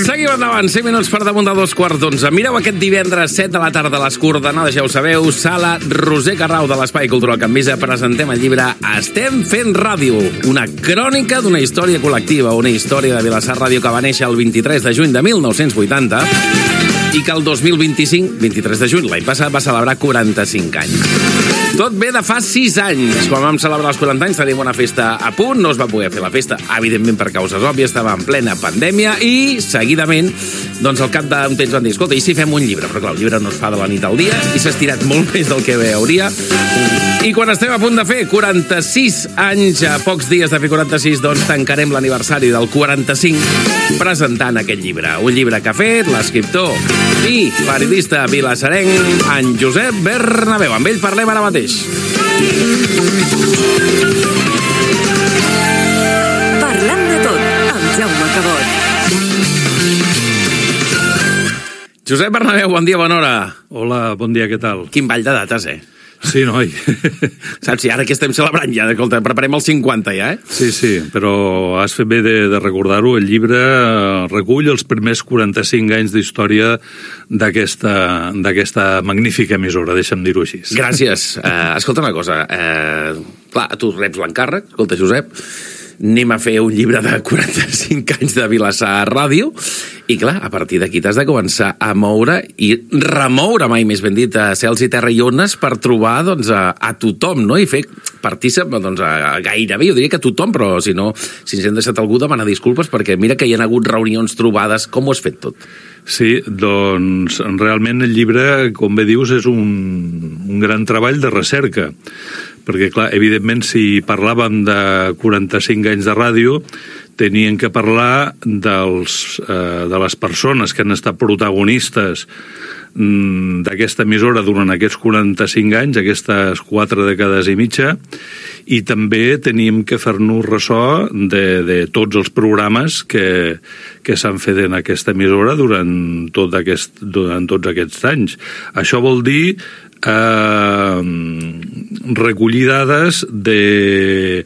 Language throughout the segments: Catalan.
Seguim endavant, 5 minuts per damunt de 2:15. Mireu aquest divendres 7 de la tarda a les coordenades, ja ho sabeu, sala Roser Carrau de l'Espai Cultural Can Visa, presentem el llibre Estem fent ràdio, una crònica d'una història col·lectiva, una història de Vilassar Ràdio que va néixer el 23 de juny de 1980 i que el 2025, 23 de juny, l'any passat, va celebrar 45 anys. Tot ve de fa 6 anys. Quan vam celebrar els 40 anys teníem una festa a punt, no es va poder fer la festa, evidentment per causes òbvies, estava en plena pandèmia i, seguidament, doncs al cap d'un temps van dir, escolta, i si fem un llibre? Però clar, el llibre no es fa de la nit al dia i s'ha estirat molt més del que bé hauria. I quan estem a punt de fer 46 anys, a pocs dies de fer 46, doncs tancarem l'aniversari del 45 presentant aquest llibre. Un llibre que ha fet l'escriptor i periodista vilassarenc en Josep Bernabéu. Amb ell parlem ara mateix. Parlem de tot amb Jaume Cabot. Josep Bernabéu, bon dia, bona hora. Hola, bon dia, què tal? Quin ball de dates, Sí, noi. Saps, si ara que estem celebrant ja, escolta, preparem els 50 ja, Sí, però has fet bé de recordar-ho. El llibre recull els primers 45 anys d'història d'aquesta magnífica emissora, deixa'm dir-ho així. Gràcies. Escolta una cosa, clar, tu reps l'encàrrec, escolta, Josep, anem a fer un llibre de 45 anys de Vilassar Ràdio i clar, a partir d'aquí t'has de començar a moure i remoure, mai més ben dit, a cels i terra i ones per trobar doncs, a tothom, no? I fer partícip doncs, a gairebé, jo diria que a tothom, però si no, si ens hem deixat algú, demanar disculpes perquè mira que hi ha hagut reunions, trobades, com ho has fet tot? Sí, doncs realment el llibre, com bé dius, és un gran treball de recerca, perquè clar, evidentment si parlàvem de 45 anys de ràdio, tenien que parlar de les persones que han estat protagonistes d'aquesta emissora durant aquests 45 anys, aquestes 4 dècades i mitja, i també teníem que fer-nos ressò de tots els programes que s'han fet en aquesta emissora durant tots aquests anys. Això vol dir recollir dades de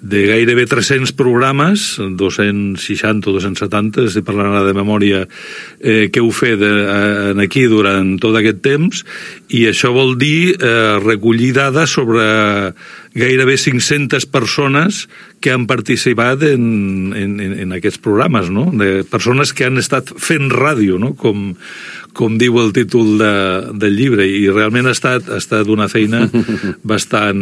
gairebé 300 programes, 260 o 270, si parlant de memòria, que heu fet aquí durant tot aquest temps, i això vol dir recollir dades sobre gairebé 500 persones que han participat en aquests programes, no? De persones que han estat fent ràdio, no? Com diu el títol del llibre, i realment ha estat una feina bastant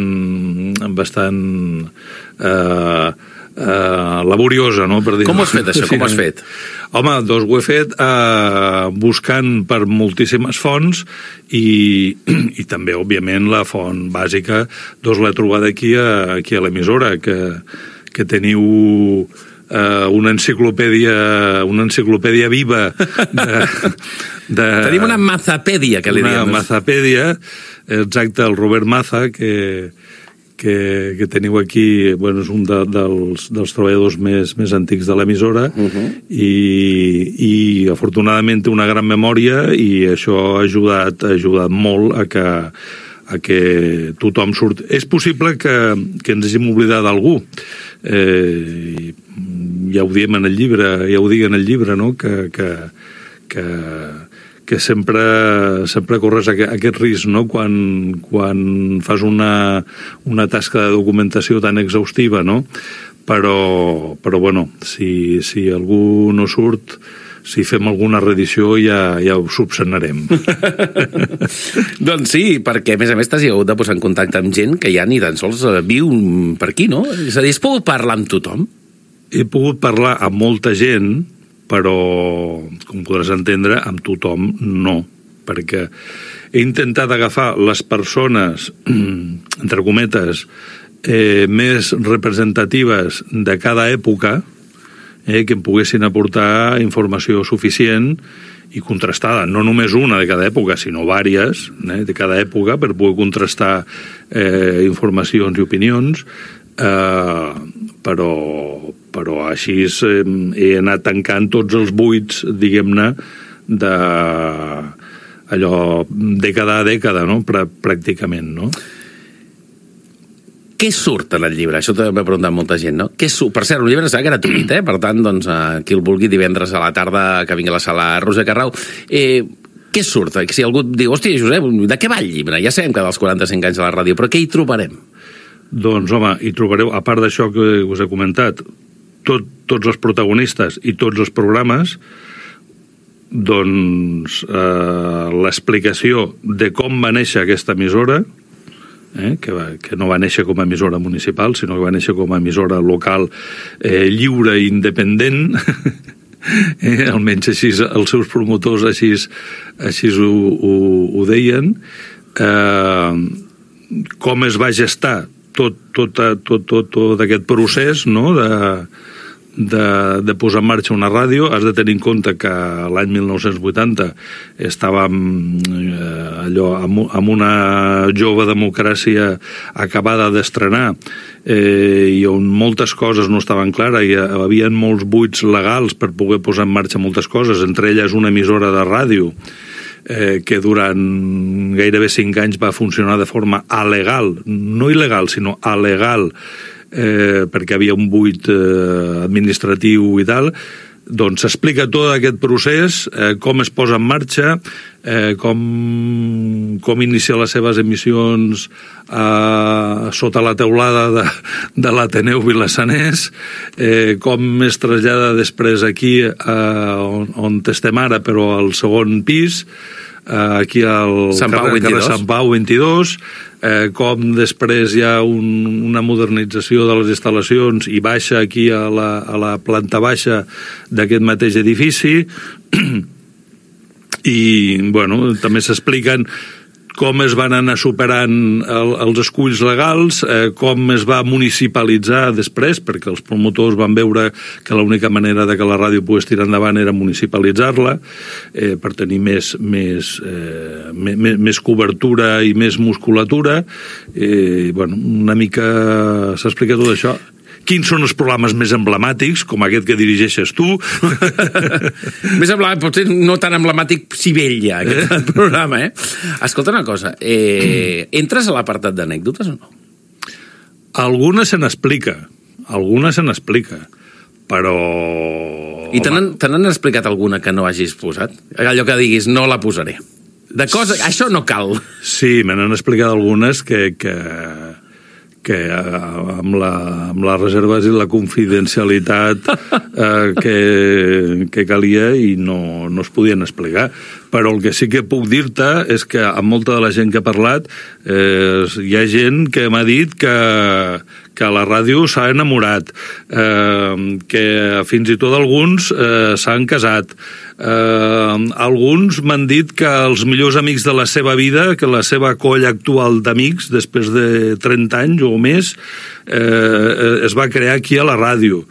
laboriosa, no? Per dir. Com ho has fet, això? Com ho has fet? Home, doncs ho he fet buscant per moltíssimes fonts i també, òbviament, la font bàsica doncs l'he trobat aquí a l'emissora, que teniu una enciclopèdia viva Tenim una mazapèdia, que li diem. Una mazapèdia, exacte, el Robert Maza, que teniu aquí, bueno, és un dels treballadors més antics de l'emissora, i afortunadament té una gran memòria, i això ha ajudat molt a que tothom surti. És possible que ens hàgim oblidat d'algú. Ja ho diem en el llibre, ja ho dic en el llibre, no? Que sempre corres aquest risc, no? Quan fas una tasca de documentació tan exhaustiva, no? Però bueno, si algú no surt, si fem alguna reedició ja ho subsanarem. Doncs sí, perquè a més t'has hagut de posar en contacte amb gent que ja ni tan sols viu per aquí, no? És a dir, has pogut parlar amb tothom? He pogut parlar amb molta gent, però, com podràs entendre, amb tothom no, perquè he intentat agafar les persones, entre cometes, més representatives de cada època, que em poguessin aportar informació suficient i contrastada, no només una de cada època, sinó vàries de cada època, per poder contrastar informacions i opinions, però així he anat tancant tots els buits, diguem-ne, dècada a dècada, no? Pràcticament, no? què surt en el llibre? Això també m'ha preguntat molta gent, no? Què surt? Per cert, un llibre serà gratuït, Per tant, doncs, qui el vulgui divendres a la tarda, que vingui a la sala Roser Carrau. Què surt? Si algú diu, hòstia, Josep, de què va el llibre? Ja sabem que dels 45 anys a la ràdio, però què hi trobarem? Doncs, home, hi trobareu, a part d'això que us he comentat, tots els protagonistes i tots els programes, doncs l'explicació de com va néixer aquesta emissora, que no va néixer com a emissora municipal, sinó que va néixer com a emissora local lliure i independent, almenys així els seus promotors així ho deien, com es va gestar tot aquest procés, no?, de posar en marxa una ràdio. Has de tenir en compte que l'any 1980 estàvem amb una jove democràcia acabada d'estrenar i on moltes coses no estaven clares i hi havia molts buits legals per poder posar en marxa moltes coses, entre elles una emissora de ràdio que durant gairebé 5 anys va funcionar de forma alegal, no il·legal, sinó alegal, perquè havia un buit administratiu i tal. Doncs s'explica tot aquest procés, com es posa en marxa, com inicia les seves emissions sota la teulada de l'Ateneu Vilassanès, com es trasllada després aquí on estem ara, però al segon pis, aquí al carrer Sant Pau 22, com després hi ha una modernització de les instal·lacions i baixa aquí a la planta baixa d'aquest mateix edifici i, bueno, també s'expliquen com es van anar superant els esculls legals, com es va municipalitzar després, perquè els promotors van veure que l'única manera de que la ràdio pogués tirar endavant era municipalitzar-la, per tenir més cobertura i més musculatura. Bueno, una mica s'explica tot això. Quins són els programes més emblemàtics, com aquest que dirigeixes tu? Més emblemàtic, potser no tan emblemàtic Sibella, aquest programa, Escolta una cosa, entres a l'apartat d'anècdotes o no? Alguna se n'explica, però... I te n'han explicat alguna que no hagis posat? Allò que diguis, no la posaré. De cosa, això no cal. Sí, me n'han explicat algunes que amb les reserves i la confidencialitat que calia i no es podien explicar. Però el que sí que puc dir-te és que amb molta de la gent que he parlat hi ha gent que m'ha dit que la ràdio s'ha enamorat, que fins i tot alguns s'han casat. Alguns m'han dit que els millors amics de la seva vida, que la seva colla actual d'amics, després de 30 anys o més, es va crear aquí a la ràdio.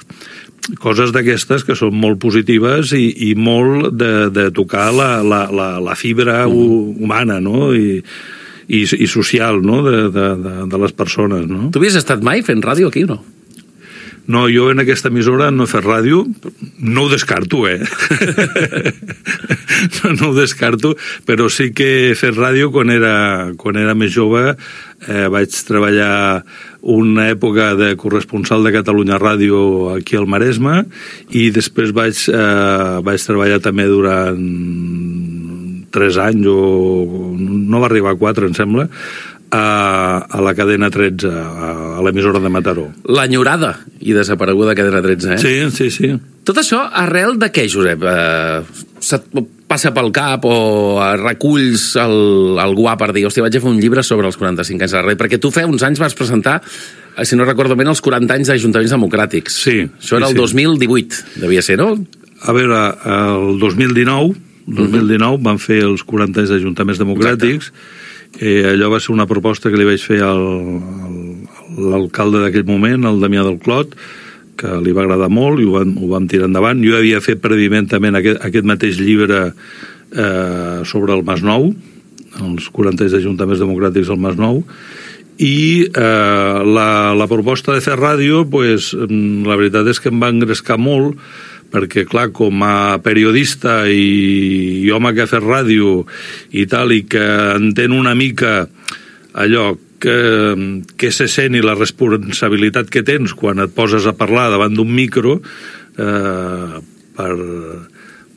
Coses d'aquestes que són molt positives i molt de tocar la fibra humana, no?, i social, no?, de les persones, no? Tu havies estat mai fent ràdio aquí o no? No, jo en aquesta emissora no he fet ràdio, no ho descarto, no ho descarto, però sí que he fet ràdio quan era més jove. Vaig treballar una època de corresponsal de Catalunya Ràdio aquí al Maresme i després vaig treballar també durant 3 anys, o no va arribar a 4, em sembla, a la cadena 13, a l'emissora de Mataró. L'enyorada i desapareguda cadena 13, Sí. Tot això arrel de què, Josep? Se't passa pel cap o reculls algú per dir, hòstia, vaig a fer un llibre sobre els 45 anys de la ràdio? Perquè tu fa uns anys vas presentar, si no recordo bé, els 40 anys d'Ajuntaments Democràtics. Sí. Això era el 2018, devia ser, no? A veure, el 2019 van fer els 40 anys d'Ajuntaments Democràtics. Allò va ser una proposta que li vaig fer a l'alcalde d'aquell moment, el Damià del Clot, que li va agradar molt i ho vam tirar endavant. Jo havia fet prèviament també aquest mateix llibre sobre el Masnou, els 40 anys d'Ajuntaments Democràtics al Masnou, i la proposta de fer ràdio, pues, la veritat és que em va engrescar molt, perquè, clar, com a periodista i home que ha fet ràdio i tal, i que entén una mica allò que se sent i la responsabilitat que tens quan et poses a parlar davant d'un micro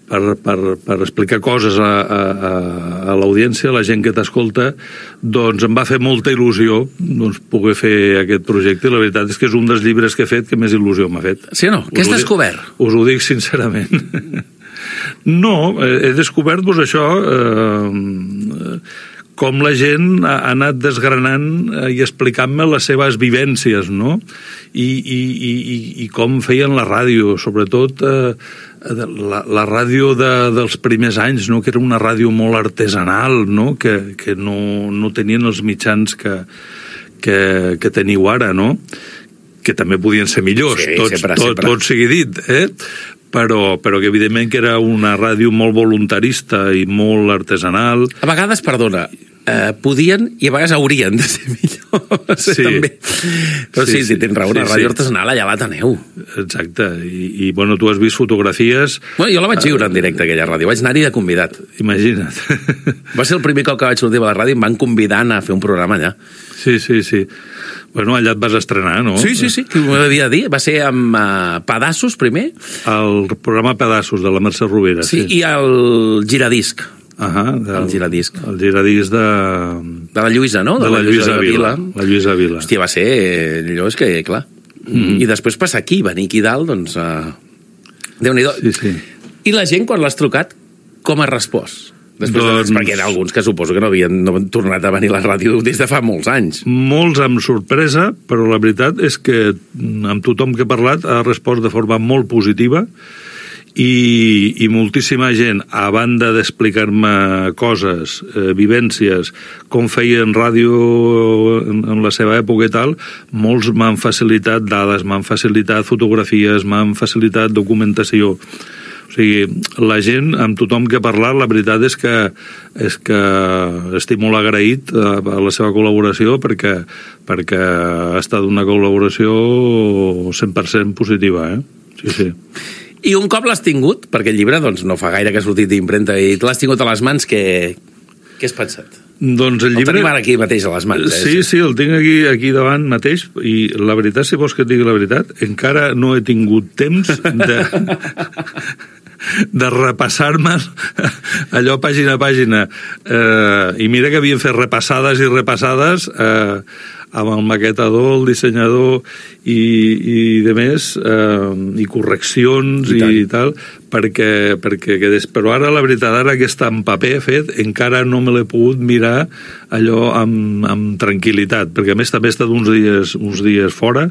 per explicar coses a l'audiència, a la gent que t'escolta, doncs em va fer molta il·lusió doncs, poder fer aquest projecte, i la veritat és que és un dels llibres que he fet que més il·lusió m'ha fet. Sí o no? Què has descobert? Us ho dic sincerament. No, he descobert doncs, això... com la gent ha anat desgranant i explicant-me les seves vivències, no? I com feien la ràdio, sobretot la ràdio dels primers anys, no? Que era una ràdio molt artesanal, no? Que no tenien els mitjans que teniu ara, no? Que també podien ser millors, sí, tot sigui dit, però que evidentment que era una ràdio molt voluntarista i molt artesanal. A vegades, perdona, podien i a vegades haurien de ser millors, sí. També. Però sí, tens raó, una ràdio artesanal allà la teneu. Exacte, i bueno, tu has vist fotografies... Bueno, jo la vaig viure en directe, aquella ràdio, vaig anar-hi de convidat. Imagina't. Va ser el primer cop que vaig sortir a la ràdio i em van convidar a fer un programa allà. Sí. Bueno, allà et vas estrenar, no? Sí, que m'ho devia dir. Va ser amb Pedassos, primer. El programa Pedassos, de la Mercè Rovira. Sí, i el Giradisc. El Giradisc. El Giradisc de la Lluïsa, no? De la Lluïsa Vila. La Lluïsa Vila. Hòstia, va ser... Allò és que, clar... I després passar aquí, venir aquí dalt, doncs... Déu-n'hi-do. Sí. I la gent, quan l'has trucat, com ha respost? Després, perquè hi ha alguns que suposo que no havien tornat a venir a la ràdio des de fa molts anys. Molts amb sorpresa, però la veritat és que amb tothom que he parlat ha respost de forma molt positiva i moltíssima gent, a banda d'explicar-me coses, vivències, com feien ràdio en la seva època i tal, molts m'han facilitat dades, m'han facilitat fotografies, m'han facilitat documentació. O sigui, la gent, amb tothom que ha parlat, la veritat és que estic molt agraït a la seva col·laboració perquè ha estat una col·laboració 100% positiva, Sí. I un cop l'has tingut, perquè el llibre doncs, no fa gaire que ha sortit d'impremta i l'has tingut a les mans, què has pensat? Doncs el llibre... El tenim ara aquí mateix a les mans. Sí, el tinc aquí davant mateix, i la veritat, si vols que et digui la veritat, encara no he tingut temps de repassar-me allò pàgina a pàgina. I mira que havien fet repassades i repassades amb el maquetador, el dissenyador i de més, i correccions i tal, perquè però ara la veritat, ara que està en paper fet, encara no me l'he pogut mirar allò amb tranquil·litat, perquè a més també he estat uns dies fora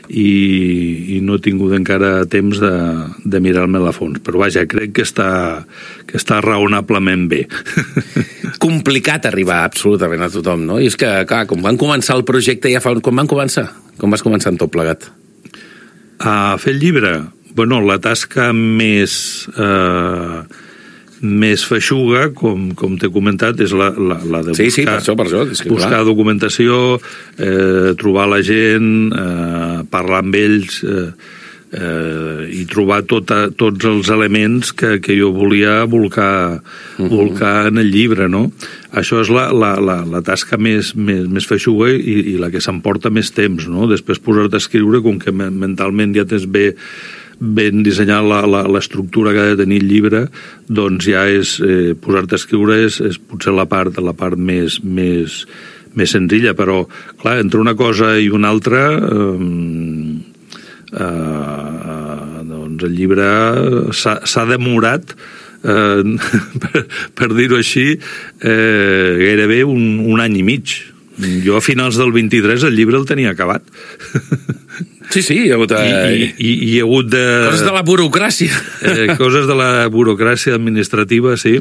i no he tingut encara temps de mirar-me-la a fons, però vaja, crec que està raonablement bé. Complicat arribar absolutament a tothom, no? I és que, clar, com van començar el projecte ja fa... Com van començar? Com vas començar en tot plegat? A fer el llibre? Bueno, la tasca més feixuga, com t'he comentat, és la de buscar, sí, per això, és que, buscar documentació, trobar la gent, parlar amb ells, i trobar tots els elements que jo volia volcar en el llibre, no? Això és la tasca més feixuga i la que s'emporta més temps, no? Després posar-te a escriure, com que mentalment ja tens ben dissenyar l'estructura que ha de tenir el llibre, doncs ja és posar-te a escriure és potser la part més senzilla, però clar, entre una cosa i una altra doncs el llibre s'ha demorat, per dir-ho així, gairebé un any i mig. Jo a finals del 23 el llibre el tenia acabat. Sí, hi ha hagut... I hi ha hagut de... Coses de la burocràcia. Coses de la burocràcia administrativa, sí.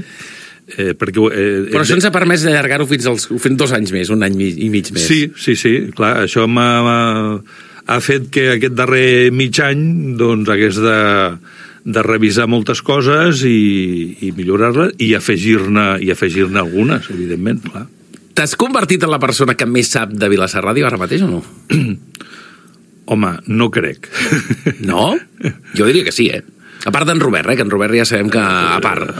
Però això ens ha permès d'allargar-ho fins 2 anys més, un any i mig més. Sí, clar, això ha fet que aquest darrer mig any doncs hagués de revisar moltes coses i millorar-les i afegir-ne algunes, evidentment, clar. T'has convertit en la persona que més sap de Vilassar Ràdio ara mateix o no? Home, no crec. No? Jo diria que sí, A part d'en Robert, que en Robert ja sabem que a part.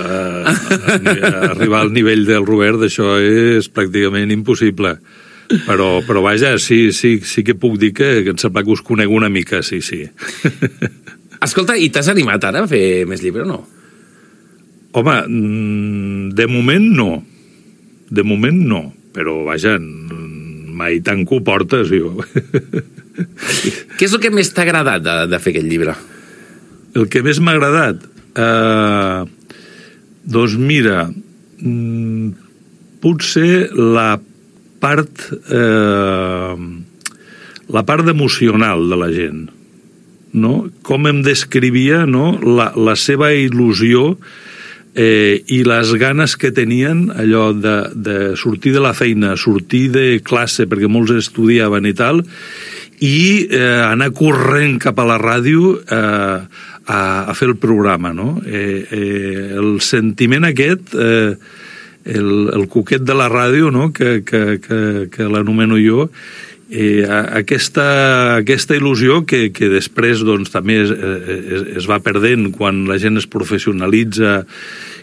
Arribar al nivell del Robert, d'això és pràcticament impossible. Però vaja, sí que puc dir que em sembla que us conec una mica, sí. Escolta, i t'has animat ara a fer més llibre o no? Home, de moment no, però vaja, mai tanco portes, jo. Què és el que més t'ha agradat de fer aquest llibre? El que més m'ha agradat? Doncs mira, potser la part emocional de la gent, no? Com em descrivia, no? La seva il·lusió i les ganes que tenien allò de sortir de la feina, sortir de classe, perquè molts estudiaven i tal, i anar corrent cap a la ràdio a fer el programa, no? El sentiment aquest, el cuquet de la ràdio, no? que l'anomeno jo, aquesta il·lusió que després doncs, també es va perdent quan la gent es professionalitza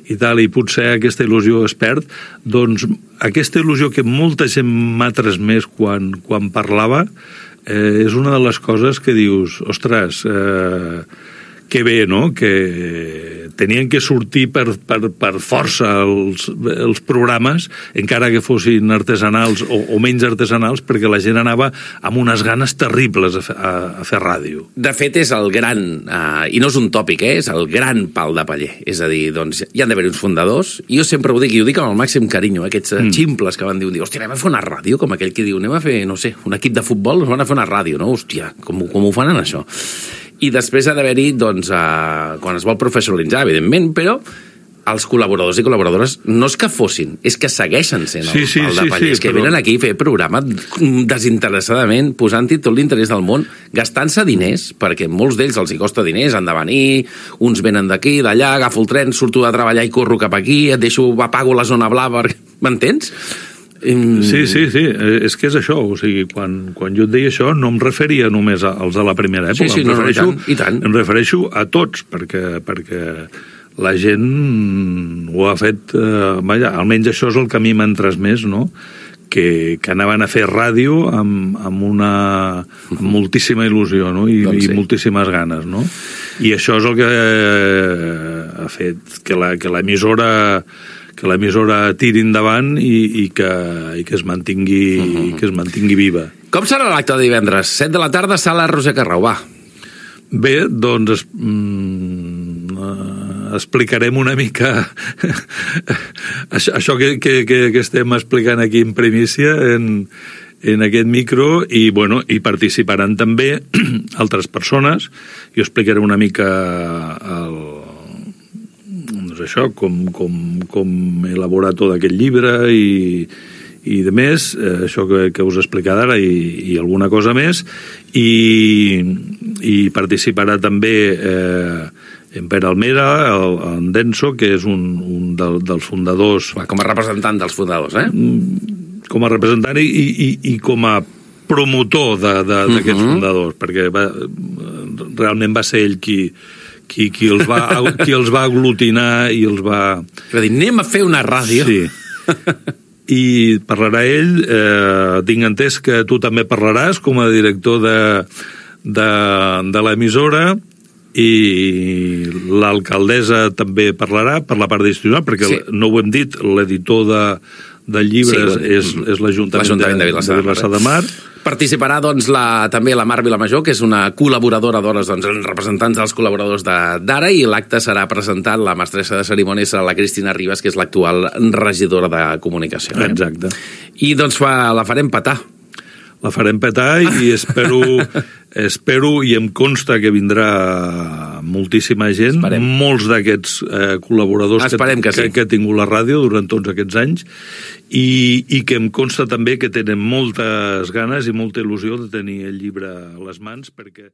i tal, i potser aquesta il·lusió es perd, doncs aquesta il·lusió que molta gent m'ha transmès quan parlava és una de les coses que dius, ostres, que bé, no?, que tenien que sortir per força els programes, encara que fossin artesanals o menys artesanals, perquè la gent anava amb unes ganes terribles a fer ràdio. De fet, és el gran, i no és un tòpic, és el gran pal de paller. És a dir, doncs, hi han d'haver uns fundadors, i jo sempre ho dic, i ho dic amb el màxim carinyo, aquests ximples que van dir, hòstia, anem a fer una ràdio, com aquell que diu, anem a fer, no sé, un equip de futbol, van a fer una ràdio, no? Hòstia, com ho fan en això? I després ha d'haver-hi, doncs, quan es vol professionalitzar, evidentment, però els col·laboradors i col·laboradores no és que fossin, és que segueixen sent el pal de paller. És que venen aquí a fer programa desinteressadament, posant-hi tot l'interès del món, gastant-se diners, perquè molts d'ells els hi costa diners, han de venir, uns venen d'aquí, d'allà, agafo el tren, surto de treballar i corro cap aquí, et deixo, apago la zona blava, m'entens? Sí, és que és això, o sigui, quan jo et deia això no em referia només als de la primera època, sí, em refereixo a tots, perquè la gent ho ha fet, almenys això és el que a mi m'han transmès, no?, que anaven a fer ràdio amb moltíssima il·lusió, no?, i moltíssimes ganes, no? I això és el que ha fet que l'emissora tiri endavant i que es mantingui viva. Com serà l'acte de divendres? 7 de la tarda, sala Roser Carrau, va. Bé, doncs explicarem una mica això que estem explicant aquí en primícia en aquest micro i participaran també altres persones. Jo explicaré una mica això, com elaborar tot aquest llibre i de més, això que us he explicat ara i alguna cosa més, i participarà també en Pere Almera, en Denso, que és un dels fundadors. Com a representant dels fundadors, Com a representant i com a promotor d'aquests fundadors, perquè realment va ser ell qui els va aglutinar i els va... Va dir, anem a fer una ràdio. Sí. I parlarà ell, tinc entès que tu també parlaràs com a director de l'emissora, i l'alcaldessa també parlarà per la part institucional, perquè no ho hem dit, l'editor del llibre és l'Ajuntament de Vilassar de Mar. Participarà doncs, també la Mar Vilamajor, que és una col·laboradora d'hores, doncs, representants dels col·laboradors d'ara, i l'acte serà presentat, la mestressa de cerimònies serà la Cristina Ribas, que és l'actual regidora de comunicació. Exacte. I doncs la farem petar. La farem petar i espero i em consta que vindrà moltíssima gent, molts d'aquests col·laboradors que ha tingut la ràdio durant tots aquests anys i que em consta també que tenen moltes ganes i molta il·lusió de tenir el llibre a les mans, perquè